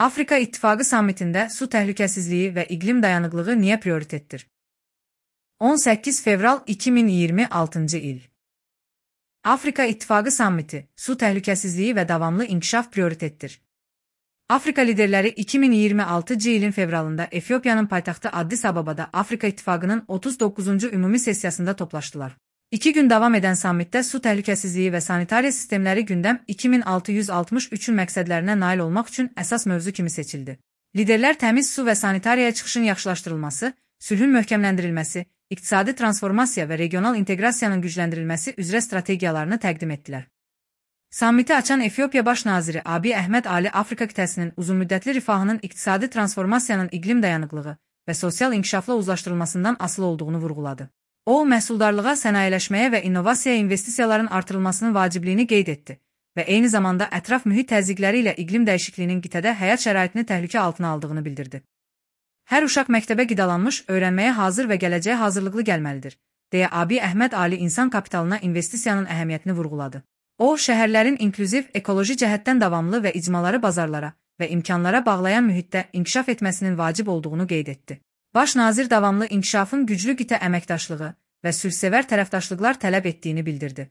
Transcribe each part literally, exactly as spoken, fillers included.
Afrika İttifaqı sammitində su təhlükəsizliyi və iqlim dayanıqlığı niyə prioritetdir? on səkkiz fevral iki min iyirmi altıncı il. Afrika İttifaqı sammiti, su təhlükəsizliyi və davamlı inkişaf prioritetdir. Afrika liderləri iki min iyirmi altıncı ilin fevralında Efiopiyanın paytaxtı Addis Ababada Afrika İttifaqının otuz doqquzuncu ümumi sessiyasında toplaşdılar. İki gün davam edən sammitdə su təhlükəsizliyi və sanitariya sistemləri gündəm iki min altı yüz altmış üçün məqsədlərinə nail olmaq üçün əsas mövzu kimi seçildi. Liderlər təmiz su və sanitariyaya çıxışın yaxşılaşdırılması, sülhün möhkəmləndirilməsi, iqtisadi transformasiya və regional inteqrasiyanın gücləndirilməsi üzrə strategiyalarını təqdim etdilər. Sammiti açan Efiopiya Baş naziri Abiy Əhməd Ali Afrika qitəsinin uzunmüddətli rifahının iqtisadi transformasiyanın iqlim dayanıqlığı və sosial inkişafla uzlaşdırılmasından asılı olduğunu vurğuladı. O, məhsuldarlığa, sənayeləşməyə və innovasiyaya investisiyaların artırılmasının vacibliyini qeyd etdi və eyni zamanda ətraf mühit təzyiqləri ilə iqlim dəyişikliyinin qitədə həyat şəraitini təhlükə altına aldığını bildirdi. Hər uşaq məktəbə qidalanmış, öyrənməyə hazır və gələcəyə hazırlıqlı gəlməlidir, deyə Abiy Əhməd Ali insan kapitalına investisiyanın əhəmiyyətini vurğuladı. O, şəhərlərin inklüziv, ekoloji cəhətdən davamlı və icmaları bazarlara və imkanlara bağlayan mühitdə inkişaf etməsinin vacib olduğunu qeyd etdi. Baş nazir davamlı inkişafın güclü qitə əməkdaşlığı və sülhsevər tərəfdaşlıqlar tələb etdiyini bildirdi.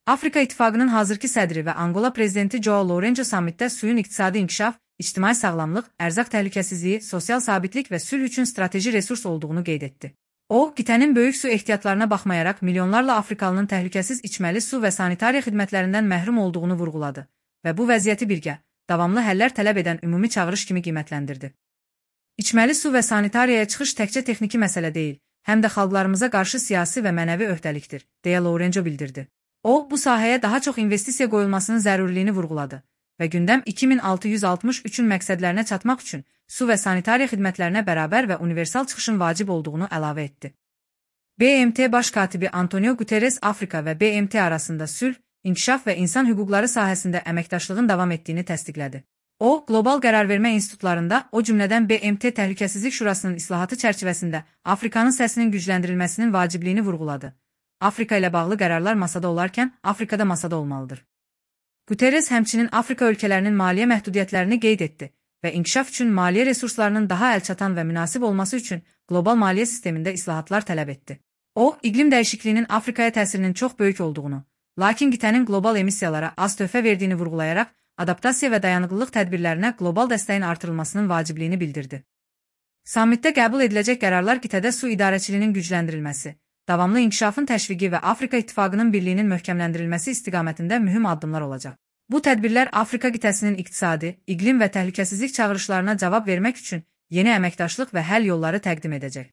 Afrika İttifaqının hazırki sədri və Angola prezidenti João Lourenço sammitdə suyun iqtisadi inkişaf, ictimai sağlamlıq, ərzaq təhlükəsizliyi, sosial sabitlik və sülh üçün strateji resurs olduğunu qeyd etdi. O, qitənin böyük su ehtiyatlarına baxmayaraq milyonlarla Afrikalının təhlükəsiz içməli su və sanitariya xidmətlərindən məhrum olduğunu vurğuladı və bu vəziyyəti birgə, davamlı həllər tələb edən ümumi çağırış kimi qiymətləndirdi. İçməli su və sanitariyaya çıxış təkcə texniki məsələ deyil, həm də xalqlarımıza qarşı siyasi və mənəvi öhdəlikdir, deyə Lourenço bildirdi. O, bu sahəyə daha çox investisiya qoyulmasının zəruriliyini vurğuladı və gündəm iki min altı yüz altmış üçün məqsədlərinə çatmaq üçün su və sanitariya xidmətlərinə bərabər və universal çıxışın vacib olduğunu əlavə etdi. B M T Baş katibi Antonio Guterres Afrika və B M T arasında sülh, inkişaf və insan hüquqları sahəsində əməkdaşlığın davam etdiyini təsdiqlədi. O, qlobal qərarvermə institutlarında, o cümlədən B M T Təhlükəsizlik Şurasının islahatı çərçivəsində Afrikanın səsinin gücləndirilməsinin vacibliyini vurğuladı. Afrika ilə bağlı qərarlar masada olarkən, Afrikada masada olmalıdır. Guterres həmçinin Afrika ölkələrinin maliyyə məhdudiyyətlərini qeyd etdi və inkişaf üçün maliyyə resurslarının daha əlçatan və münasib olması üçün qlobal maliyyə sistemində islahatlar tələb etdi. O, iqlim dəyişikliyinin Afrikaya təsirinin çox böyük olduğunu, lakin qitənin qlobal emissiyalara az töhfə verdiyini vurğulayaraq, adaptasiya və dayanıqlılıq tədbirlərinə qlobal dəstəyin artırılmasının vacibliyini bildirdi. Sammitdə qəbul ediləcək qərarlar qitədə su idarəçiliyinin gücləndirilməsi, davamlı inkişafın təşviqi və Afrika İttifaqının birliyinin möhkəmləndirilməsi istiqamətində mühüm addımlar olacaq. Bu tədbirlər Afrika qitəsinin iqtisadi, iqlim və təhlükəsizlik çağırışlarına cavab vermək üçün yeni əməkdaşlıq və həll yolları təqdim edəcək.